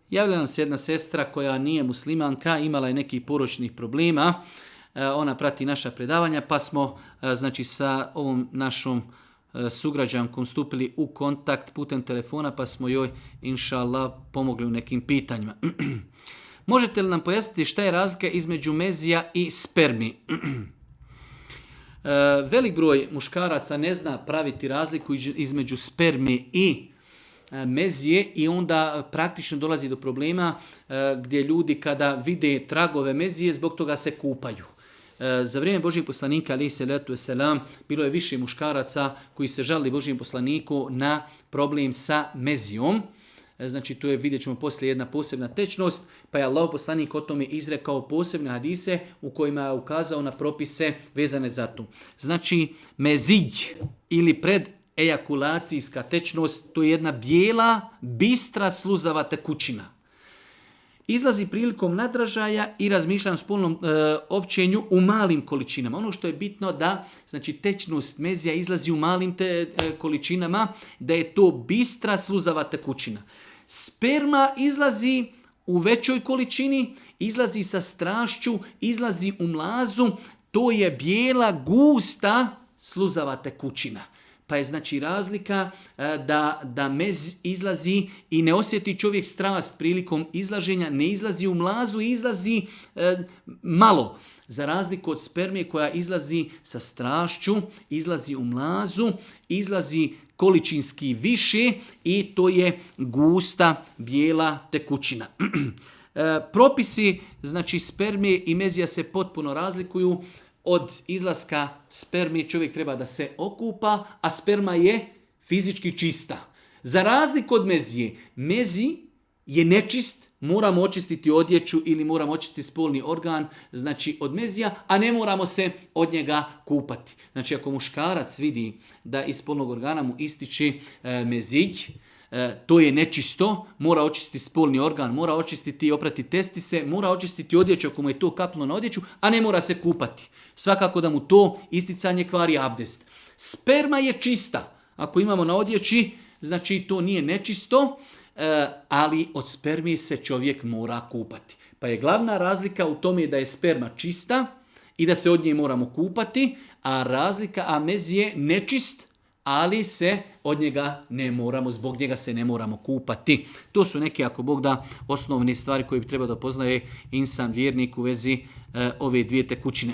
Javila nam se jedna sestra koja nije muslimanka, imala je nekih poročnih problema. Ona prati naša predavanja, pa smo sa ovom našom sugrađankom stupili u kontakt putem telefona, pa smo joj, inša Allah, pomogli u nekim pitanjima. Možete li nam pojasniti šta je razlika između mezija i spermi? Velik broj muškaraca ne zna praviti razliku između spermi i mezije i onda praktično dolazi do problema gdje ljudi kada vide tragove mezije zbog toga se kupaju. Za vrijeme Božijeg poslanika alejhi selatu vesselam bilo je više muškaraca koji se žalili Božijem poslaniku na problem sa mezijom. Znači to je, vidjet ćemo poslije, jedna posebna tečnost, pa je Allah poslanik o tome izrekao posebne hadise u kojima je ukazao na propise vezane za to. Znači mezij ili predejakulacijska tečnost, to je jedna bijela, bistra, sluzava tekućina. Izlazi prilikom nadražaja i razmišljanja o spolnom općenju u malim količinama. Ono što je bitno da tečnost mezija izlazi u malim količinama, da je to bistra, sluzava tekućina. Sperma izlazi u većoj količini, izlazi sa strašću, izlazi u mlazu, to je bijela, gusta, sluzava tekućina. Pa je razlika da mez izlazi i ne osjeti čovjek strast prilikom izlaženja, ne izlazi u mlazu, izlazi malo. Za razliku od spermije koja izlazi sa strašću, izlazi u mlazu, izlazi količinski više i to je gusta, bijela tekućina. Propisi spermije i mezija se potpuno razlikuju. Od izlaska spermije čovjek treba da se okupa, a sperma je fizički čista. Za razliku od mezije, mezi je nečist, moramo očistiti odjeću ili moramo očistiti spolni organ, od mezija, a ne moramo se od njega kupati. Ako muškarac vidi da iz spolnog organa mu ističe mezij, to je nečisto, mora očistiti spolni organ, mora očistiti i oprati testise, mora očistiti odjeću ako mu je to kapnulo na odjeću, a ne mora se kupati. Svakako da mu to isticanje kvari abdest. Sperma je čista. Ako imamo na odjeći, to nije nečisto, ali od spermije se čovjek mora kupati. Pa je glavna razlika u tome da je sperma čista i da se od nje moramo kupati, a mez je nečist, ali se od njega ne moramo, zbog njega se ne moramo kupati. To su neke, ako Bog da, osnovne stvari koje bi trebao da poznaje insan vjernik u vezi ove dvije tekućine.